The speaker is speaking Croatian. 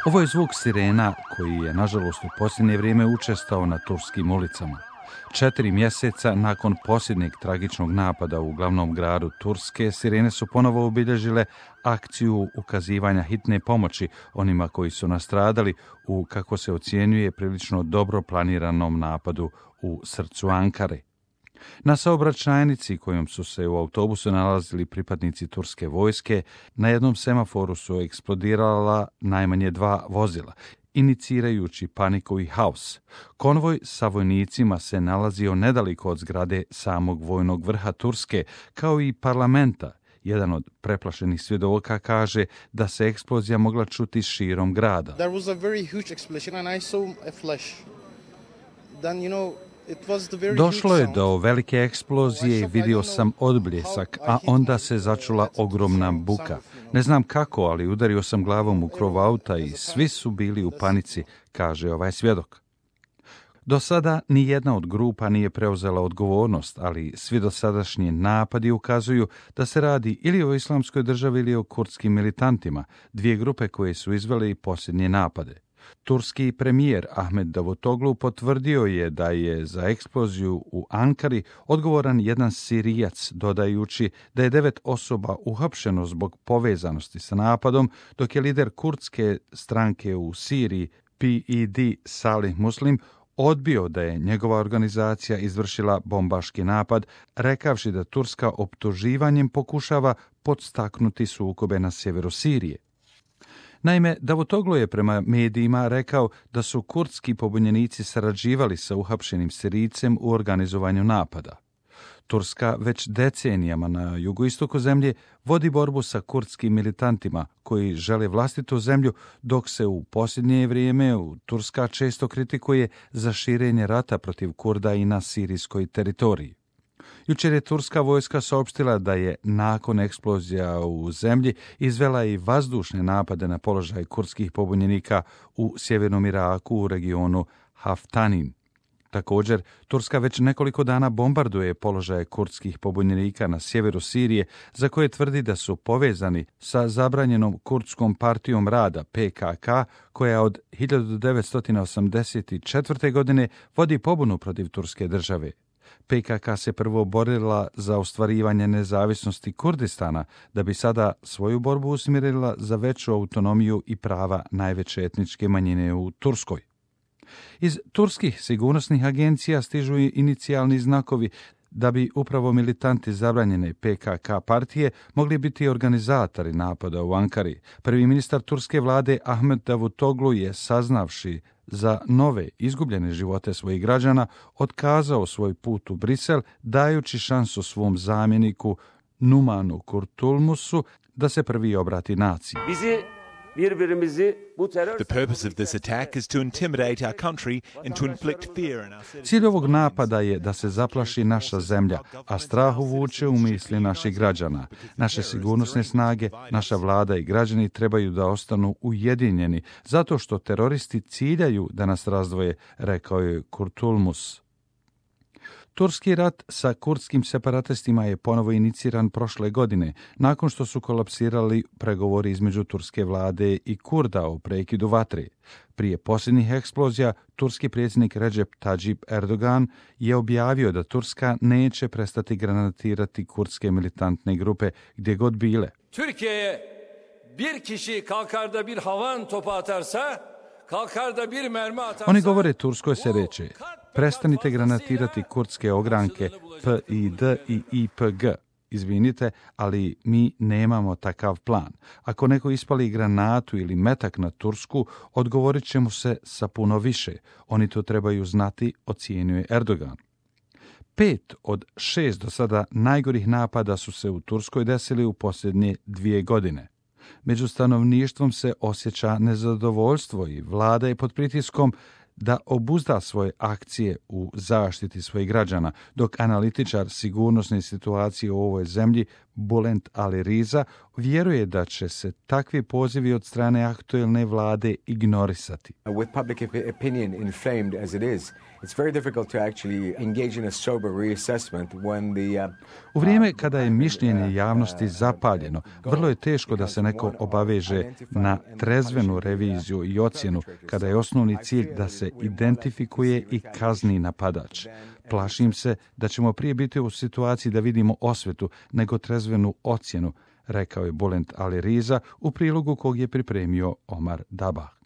Ovo je zvuk sirena koji je, nažalost, u posljednje vrijeme učestao na turskim ulicama. 4 mjeseca nakon posljednjeg tragičnog napada u glavnom gradu Turske, sirene su ponovo obilježile akciju ukazivanja hitne pomoći onima koji su nastradali u, kako se ocjenjuje, prilično dobro planiranom napadu u srcu Ankare. Na saobraćajnici kojom su se u autobusu nalazili pripadnici turske vojske, na jednom semaforu su eksplodirala najmanje 2 vozila, inicirajući paniku i haos. Konvoj sa vojnicima se nalazio nedaleko od zgrade samog vojnog vrha Turske, kao i parlamenta. Jedan od preplašenih svjedoka kaže da se eksplozija mogla čuti širom grada. There was a very huge explosion and I saw a flash. Then, Došlo je do velike eksplozije i vidio sam odbljesak, a onda se začula ogromna buka. Ne znam kako, ali udario sam glavom u krov auta i svi su bili u panici, kaže ovaj svjedok. Do sada ni jedna od grupa nije preuzela odgovornost, ali svi dosadašnji napadi ukazuju da se radi ili o Islamskoj državi ili o kurdskim militantima, 2 grupe koje su izvele posljednje napade. Turski premijer Ahmed Davutoglu potvrdio je da je za eksploziju u Ankari odgovoran jedan Sirijac, dodajući da je 9 osoba uhapšeno zbog povezanosti sa napadom, dok je lider kurdske stranke u Siriji PED Salih Muslim odbio da je njegova organizacija izvršila bombaški napad, rekavši da Turska optuživanjem pokušava podstaknuti sukobe na sjeveru Sirije. Naime, Davutoglu je prema medijima rekao da su kurdski pobunjenici sarađivali sa uhapšenim Sirijcem u organizovanju napada. Turska već decenijama na jugoistoku zemlje vodi borbu sa kurdskim militantima koji žele vlastitu zemlju, dok se u posljednje vrijeme Turska često kritikuje za širenje rata protiv Kurda i na sirijskoj teritoriji. Jučer je turska vojska saopštila da je nakon eksplozija u zemlji izvela i vazdušne napade na položaj kurdskih pobunjenika u sjevernom Iraku u regionu Haftanin. Također, Turska već nekoliko dana bombarduje položaje kurdskih pobunjenika na sjeveru Sirije, za koje tvrdi da su povezani sa zabranjenom kurdskom partijom rada PKK, koja od 1984. godine vodi pobunu protiv turske države. PKK se prvo borila za ostvarivanje nezavisnosti Kurdistana, da bi sada svoju borbu usmjerila za veću autonomiju i prava najveće etničke manjine u Turskoj. Iz turskih sigurnosnih agencija stižu inicijalni znakovi da bi upravo militanti zabranjene PKK partije mogli biti organizatori napada u Ankari. Prvi ministar turske vlade Ahmed Davutoglu je, saznavši za nove izgubljene živote svojih građana, otkazao svoj put u Brisel, dajući šansu svom zamjeniku Numanu Kurtulmusu da se prvi obrati naciji. The purpose of this attack is to intimidate our country and to inflict fear in our citizens. Cilj ovog napada je da se zaplaši naša zemlja, a strah uvuče u misli naših građana. Naše sigurnosne snage, naša vlada i građani trebaju da ostanu ujedinjeni, zato što teroristi ciljaju da nas razdvoje, rekao je Kurtulmus. Turski rat sa kurdskim separatistima je ponovo iniciran prošle godine, nakon što su kolapsirali pregovori između turske vlade i Kurda o prekidu vatre. Prije posljednjih eksplozija, turski predsjednik Recep Tayyip Erdogan je objavio da Turska neće prestati granatirati kurdske militantne grupe gdje god bile. Türkiye'ye bir kişi kalkar da bir havan topu atarsa, kalkar da bir mermi atarsa... Oni govore Turskoj se reče: prestanite granatirati kurdske ogranke PID i IPG. Izvinite, ali mi nemamo takav plan. Ako neko ispali granatu ili metak na Tursku, odgovorit će mu se sa puno više. Oni to trebaju znati, ocjenjuje Erdogan. 5 od 6 do sada najgorih napada su se u Turskoj desili u posljednje 2 godine. Među stanovništvom se osjeća nezadovoljstvo i vlada je pod pritiskom da obuzda svoje akcije u zaštiti svojih građana, dok analitičar sigurnosne situacije u ovoj zemlji Bulent Ali Riza vjeruje da će se takvi pozivi od strane aktuelne vlade ignorisati. With public opinion inflamed as it is, it's very difficult to actually engage in a sober reassessment when the U vrijeme kada je mišljenje javnosti zapaljeno, vrlo je teško da se neko obaveže na trezvenu reviziju i ocjenu kada je osnovni cilj da se identifikuje i kazni napadač. Plašim se da ćemo prije biti u situaciji da vidimo osvetu nego trezvenu ocjenu, rekao je Bulent Ali Riza u prilogu kog je pripremio Omar Dabah.